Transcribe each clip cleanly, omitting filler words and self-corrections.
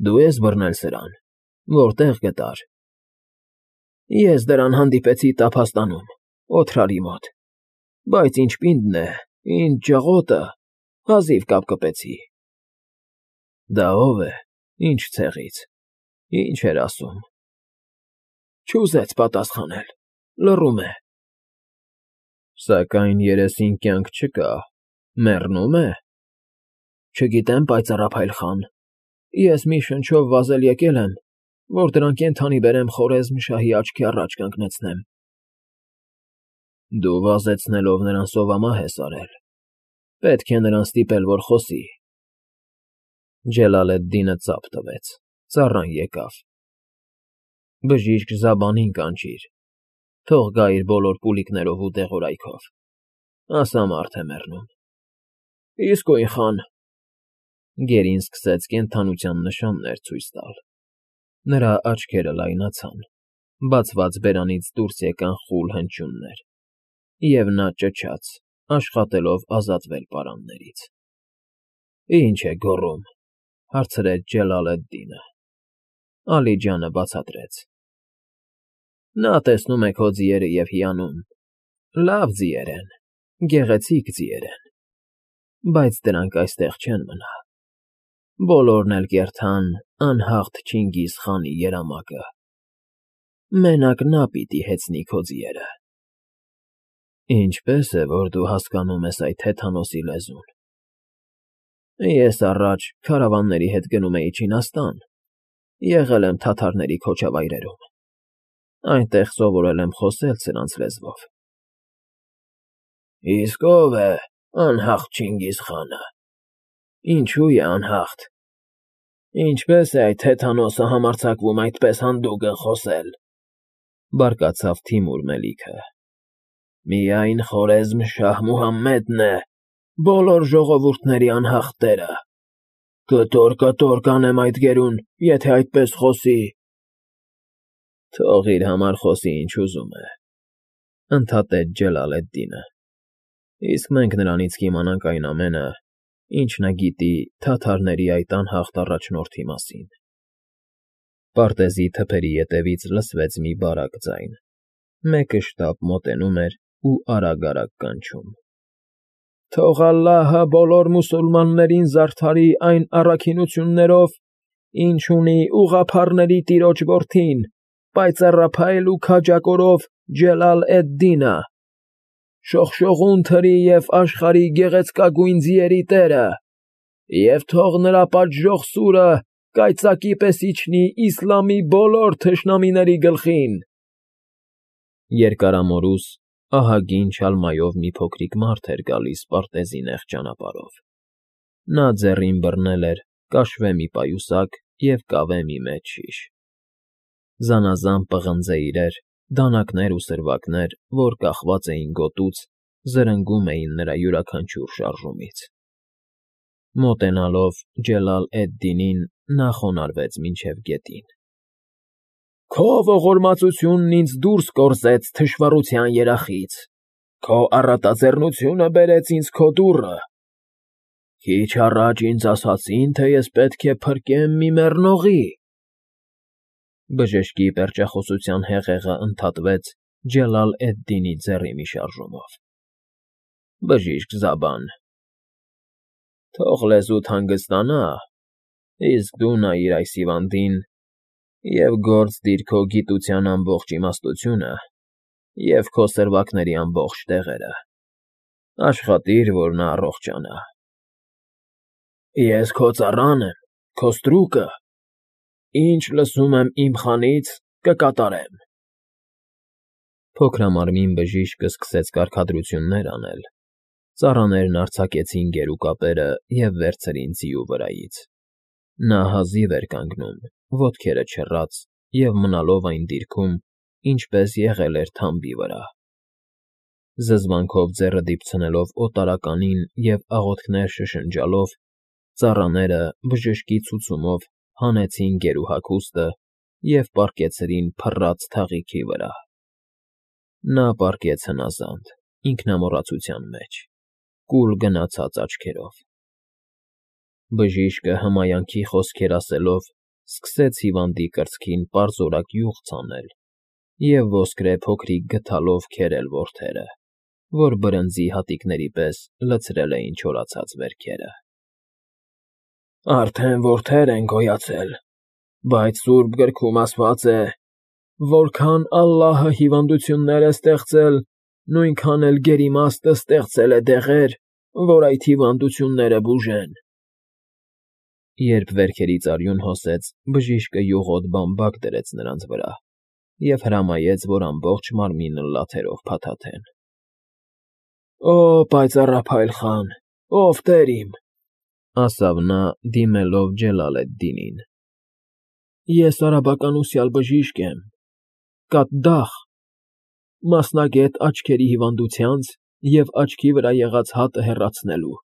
Դու ես բռնել սրան, որտե՞ղ գտար։ Ես դրան հանդիպեցի Տափաստանում, Օթրարի մոտ, բայց ինչ պինդն է, ինչ ջղոտը, հազիվ կապ կպեցի։ Դա ո՞վ է, ինչ ցեղից, ինչ էր ասում։ Չուզեց պատասխանել, լռում է։ Սակայն երեսին կյանք չկա, մեռնո՞ւմ է։ Չգիտեմ, պայծառափայլ խան, ես մի շնչով վազել եկել եմ, որ դրան կենդանի բերեմ Խորեզմ շահի աչքի առաջ կանգնեցնեմ։ Դու վազեցնելով նրան սովամահ ես արել, պետք է նրան ստիպել, որ խոսի։ Ջելալեդդինը ծափ տվեց, ծառան եկավ։ Բժիշկ Զաբանին կանչիր, թող գա իր բոլոր պուլիկներով ու դեղորայքով, ասա մարդ է մեռնում։ Իսկույն խան։ Գերին սկսեց կենդանության նշաններ ցույց տալ։ Նրա աչքերը լայնացան, բացված բերանից դուրս եկան խուլ հնչյուններ, և նա ճչաց, աշխատելով ազատվել պարաններից։ Ինչ է գոռում, հարցրեց Ջելալեդդինը։ Ալիջանը բացատրեց. Նա տեսնում է քո ձիերը և հիանում, լավ ձիեր են, գեղեցիկ ձիեր են, բայց դրանք այստեղ չեն մնա։ Բոլորն էլ կերթան անհաղթ Չինգիզ խանի երամակը։ Մենակ նա պիտի հեծնի քո ձիերը։ Ինչպե՞ս է, որ դու հասկանում ես այդ հեթանոսի լեզուն։ Ես առաջ քարավանների հետ գնում էի Չինաստան, եղել եմ թաթարների քոչավայրերում, այնտեղ սովորել եմ խոսել սրանց լեզվով։ Իսկ ո՞վ է անհաղթ Չինգիզ խանը։ Ինչու է անհաղթ։ Ինչպե՞ս է այդ հեթանոսը համարձակվում այդպես հանդուգն խոսել, բարկացավ Թիմուր Մելիքը։ Միայն Խորեզմ շահ Մուհամմեդն է բոլոր ժողովուրդների անհաղթ տերը։ Կտոր կանեմ այդ գերուն, եթե այդպես խոսի։ Թող իր համար խոսի, ինչ ուզում է, ընդհատեց Ջելալեդդինը, իսկ մենք նրանից կիմանանք այն ամենը, ինչ նա գիտի թաթարների այդ անհաղթ առաջնորդի մասին։ Պարտեզի թփերի ետևից լսվեց մի բարակ ձայն, մեկը շտապ մոտենում էր ու արագ կանչում։ Թող Ալլահը բոլոր մուսուլմաններին զարդարի այն առաքինություններով, ինչ ունի ուղղափառների տիրոջ որդին, պայծառափայլ ու քաջակորով Ջելալ֊էդ֊Դինը, շողշողուն թրի և աշխարհի գեղեցկագույն ձիերի տերը, և թող նրա պատժող սուրը կայծակի պես իջնի իսլամի բոլոր թշնամիների գլխին։ Երկարամորուս ահագին չալմայով մի փոքրիկ մարդ էր գալիս պարտեզի նեղ ճանապարհով։ Նա ձեռին բռնել էր կաշվե մի պայուսակ և կավե մի մեծ շիշ։ Զանազան պղնձե իրեր, դանակներ ու սրվակներ, որ կախված էին գոտուց, զրնգում էին նրա յուրաքանչյուր շարժումից։ Մոտենալով Ջելալ֊էդ֊Դինին նա խոնարհվեց մինչև գետին։ Քո ողորմածությունն ինձ դուրս կորզեց թշվառության երախից, քո առատաձեռնությունը բերեց ինձ քո դուռը։ Քիչ առաջ ինձ ասացին, թե ես պետք է փրկեմ մի մեռնողի։ Բժշկի պերճախոսության հեղեղը ընդհատվեց Ջելալ֊էդ֊Դինի ձեռի մի շարժումով։ Բժիշկ Զաբան, թող լեզուդ հանգստանա, իսկ դու նայիր այս հիվանդին և գործ դիր քո գիտության ամբողջ իմաստությունը և քո սրվակների ամբողջ տեղերը, աշխատիր, որ նա առողջանա։ Ես քո ծառան եմ, քո ստրուկը, ինչ լսում եմ իմ խանից, կկատարեմ։ Փոքրամարմին բժիշկը սկսեց կարգադրություններ անել, ծառաներն արձակեցին գերուկապերը և վերցրին ձիու վրայից։ Նա հազիվ էր կանգնում, ոտքերը չռած և մնալով այն դիրքում, ինչպես եղել էր թամբի վրա։ Զզվանքով ձեռը դիպցնելով օտարականին և աղոթքներ շշնջալով, ծառաները բժշկի ցուցումով հանեցին գերուհագուստը և պառկեցրին փռած թաղիքի վրա։ Նա պառկեց հնազանդ, ինքնամոռացության մեջ, կուլ գնացած աչքերով։ Բժիշկը հմայանքի խոսքեր ասելով սկսեց հիվանդի կրծքին պարզորակ յուղ ցանել և ոսկրե փոքրիկ գդալով քերել որդերը, որ բրնձի հատիկների պես լցրել էին չորացած վերքերը։ Արդեն որդեր են գոյացել, բայց Սուրբ գրքում ասված է. «Որքան Ալլահը հիվանդություններ է ստեղծել, նույնքան էլ գերիմաստը ստեղծել է դեղեր, որ այդ հիվանդությունները բուժեն»։ Երբ վերքերից արյուն հոսեց, բժիշկը յուղոտ բամբակ դրեց նրանց վրա և հրամայեց, որ ամբողջ մարմինը լաթերով փաթաթեն։ «Օ, պայծառափայլ խան, ով Տեր իմ,֊ ասավ նա, դիմելով Ջելալեդդինին,֊ ես արաբական ուսյալ բժիշկ եմ, Կադդախ, մասնագետ աչքերի հիվանդությանց և աչքի վրա եղած հատը հեռացնելու,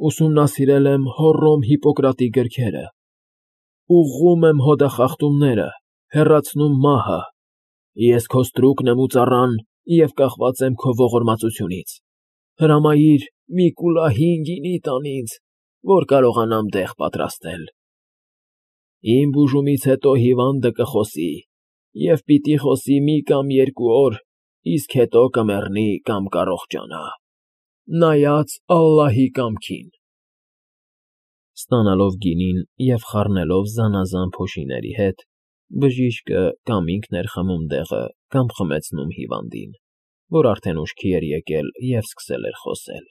ուսումնասիրել եմ Հոռոմ Հիպպոկրատի գրքերը, ուղղում եմ հոդախախտումները, հեռացնում մահը, ես քո ստրուկն եմ ու ծառան և կախված եմ քո ողորմածությունից, հրամայիր մի կուլահին գինի տան ինձ, որ կարողանամ դեղ պատրաստել։ Իմ բուժումից հետո հիվանդը կխոսի և պիտի խոսի մի կամ երկու օր, իսկ հետո կմեռնի կամ կառողջանա, նայած Ալլահի կամքին»։ Ստանալով գինին և խառնելով զանազան փոշիների հետ, բժիշկը կամ ինքն էր խմում դեղը, կամ խմեցնում հիվանդին, որ արդեն ուշքի էր եկել և սկսել էր խոսել։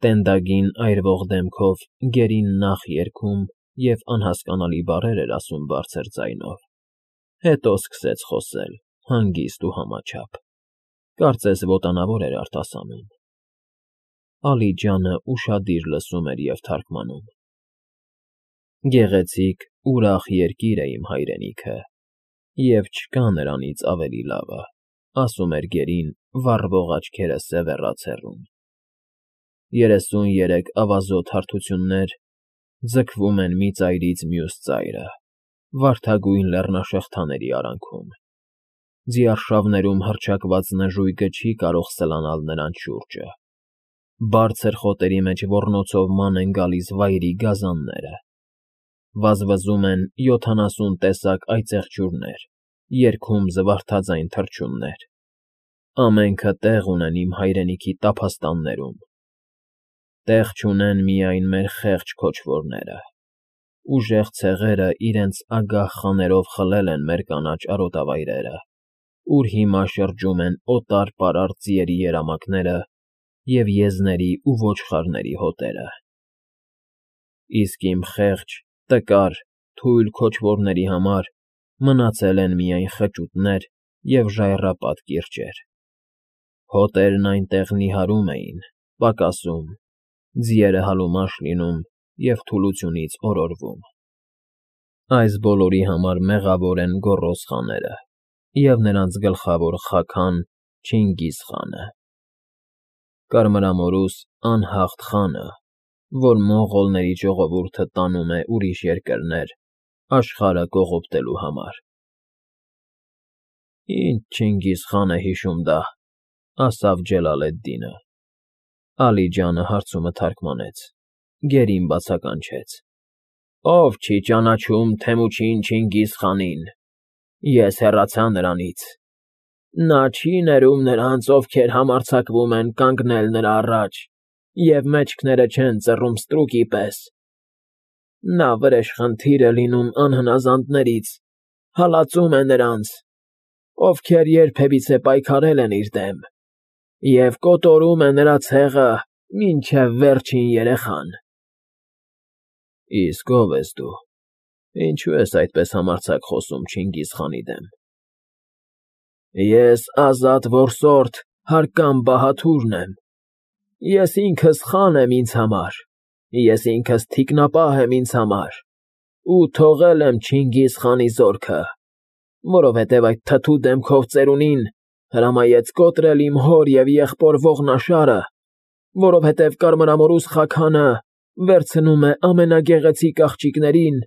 Տենդագին այրվող դեմքով գերին նախ երգում և անհասկանալի բառեր էր ասում բարձր ձայնով, հետո սկսեց խոսել, հանգիստ ու համաչափ, կարծես ոտանավոր էր արտասանում։ Ալիջանը ուշադիր լսում էր և թարգմանում. «Գեղեցիկ, ուրախ երկիր է իմ հայրենիքը, և չկա նրանից ավելի լավը»,֊ ասում էր գերին, վառվող աչքերը սևեռած հեռուն։ 33 ավազոտ հարթություններ ձգվում են մի ծայրից մյուս ծայրը, վարդագույն լեռնաշղթաների արանքում։ Ձիարշավներում հռչակված նժույգը չի կարող սլանալ նրանց շուրջը։ Բարձր խոտերի մեջ ոռնոցով ման են գալիս վայրի գազանները։ Վազվզում են 70 տեսակ այծեղջյուրներ, երգում զվարթաձայն թռչուններ։ Ամենքը տեղ ունեն իմ հայրենիքի տափաստաններում։ Տեղ չունեն միայն մեր խեղճ քոչվորները։ Ուժեղ ցեղերը իրենց ագահ խաներով խլել են մեր կանաչ արոտավայրերը, ուր հիմա շրջում են օտար֊պարարտ ձիերի երամակները և եզների ու ոչխարների հոտերը։ Իսկ իմ խեղճ, տկար, թույլ քոչվորների համար մնացել են միայն խճուտներ և ժայռապատ կիրճեր։ Հոտերն այնտեղ նիհարում էին, պակասում, ձիերը հալումաշ լինում և թուլությունից օրորվում։ Այս բոլորի համար մեղավոր են գոռոզ խաները և նրանց գլխավոր խաքան Չինգիզ խանը, կարմրամորուս անհաղթ խանը, որ մոնղոլների ժողովուրդը տանում է ուրիշ երկրներ աշխարհը կողոպտելու համար։ «Ինչ Չինգիզ խան է հիշում դա,֊ ասավ Ջելալեդդինը։ Ալիջանը հարցումը թարգմանեց, գերին բացականչեց. «Ով չի ճանաչում Թեմուչին Չինգիզ խանին, ես հեռացա նրանից։ Նա չի ներում նրանց, ովքեր համարձակվում են կանգնել նրա առաջ և մեջքները չեն ծռում ստրուկի պես։ Նա վրեժխնդիր է լինում անհնազանդներից, հալածում է նրանց, ովքեր երբևիցե պայքարել են իր դեմ, և կոտորում է նրա ցեղը մինչև վերջին երեխան»։ Իսկ ո՞վ ես դու, ինչու ես այդպես համարձակ խոսում Չինգիզ խանի դեմ։ Ես ազատ որսորդ Հարկամ Բահաթուրն եմ։ Ես ինքս խան եմ ինձ համար, ես ինքս թիկնապահ եմ ինձ համար ու թողել եմ Չինգիզ խանի զորքը, որովհետև այդ թթու դեմքով ծերունին հրամայեց կոտրել իմ հոր և եղբոր ողնաշարը, որովհետև կարմրամորուս խաքանը վերցնում է ամենագեղեցիկ աղջիկներին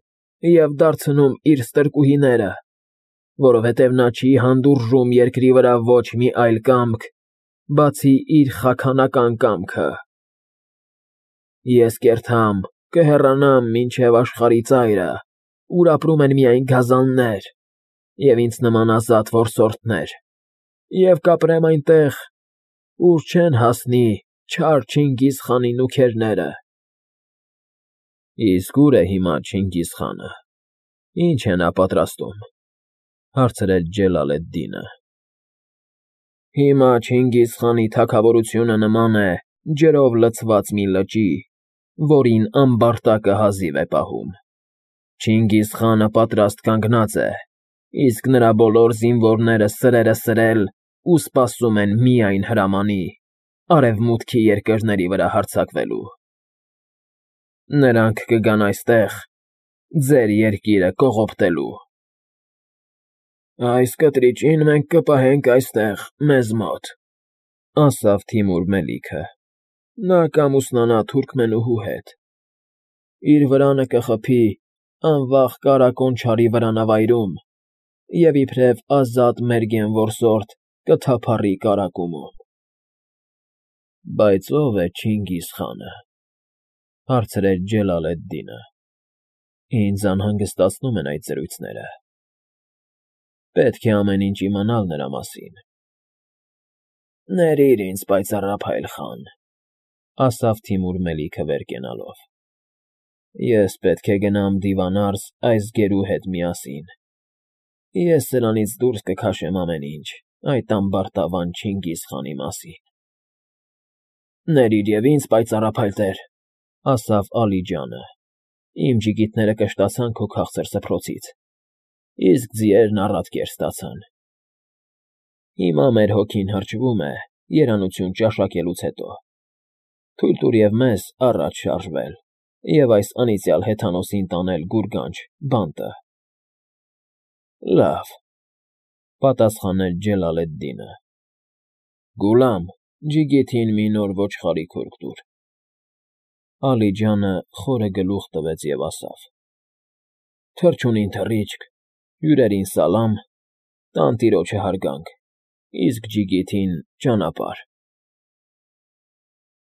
և դարձնում իր ստրկուհիները, որովհետև նա չի հանդուրժում երկրի վրա ոչ մի այլ կամք, բացի իր խաքանական կամքը։ Ես կերտամ, կհեռանամ մինչև աշխարհի ծայրը, ուր ապրում են միայն գազաններ և ինձ նման ազատ որսորդներ, և կապրեմ այնտեղ, ուր չեն հասնի չար Չինգիզ խանի նուքերները։ ֊ Իսկ ո՞ւր է հիմա Չինգիզ խանը, ի՞նչ է նա պատրաստում,֊ հարցրեց Ջելալ֊էդ֊Դինը։ ֊ Հիմա Չինգիզ խանի թագավորությունը նման է ջրով լցված մի լճի, որին ամբարտակը հազիվ է պահում. Չինգիզ խանը պատրաստ կանգնած է, իսկ նրա բոլոր զինվորները սրերը սրել ու սպասում են միայն հրամանի՝ արևմուտքի երկրների վրա հարձակվելու։ Նրանք կգան այստեղ ձեր երկիրը կողոպտելու։ ֊ Այս կտրիճին մենք կպահենք այստեղ մեզ մոտ,֊ ասաց Թիմուր Մելիքը. նա կամուսնանա թուրքմենուհու հետ, իր վրանը կխփի անվախ Կարագոն չարի վրանավայրում և իբրև ազատ մերգեն որսորդ կթափառի կարագումում։ ֊ Բայց ո՞վ է Չինգիզ խանը,֊ հարցրեց Ջելալ֊էդ֊Դինը։ Ինձ անհանգստացնում են այդ զրույցները։ Պետք է ամեն ինչ իմանալ նրա մասին։ ֊ Ներիր ինձ, պայծառափայլ խան,֊ ասաց Թիմուր Մելիքը վեր կենալով։ Ես պետք է գնամ դիվանարս այս գերու հետ միասին։ Ես սրանից դուրս կքաշեմ ամեն ինչ այդ ամբարտավան Չինգիզ խանի մասին։ ֊ Ներիր և ինձ, պայծառափայլ տեր,֊ ասաց Ալիջանը, իմ ջիգիտները կշտացան քո քաղցր սփռոցից, իսկ ձիերն առատ կեր ստացան։ Հիմա մեր հոգին հրճվում է երանություն ճաշակելուց հետո։ Թույլ տուր և մեզ առաջ շարժվել և այս անիծյալ հեթանոսին տանել գուրգանջ, բանտը։ ֊ Լավ,֊ պատասխանեց Ջելալ֊էդ֊Դինը։ Գուլամ, ջիգիթին մի նոր ոչխարի քորք տուր։ Ալիջանը խորը գլուխ տվեց և ասավ. թռչունին թռիչք, հյուրերին սալամ, տանտիրոջը հարգանք, իսկ ջիգիթին ճանապարհ։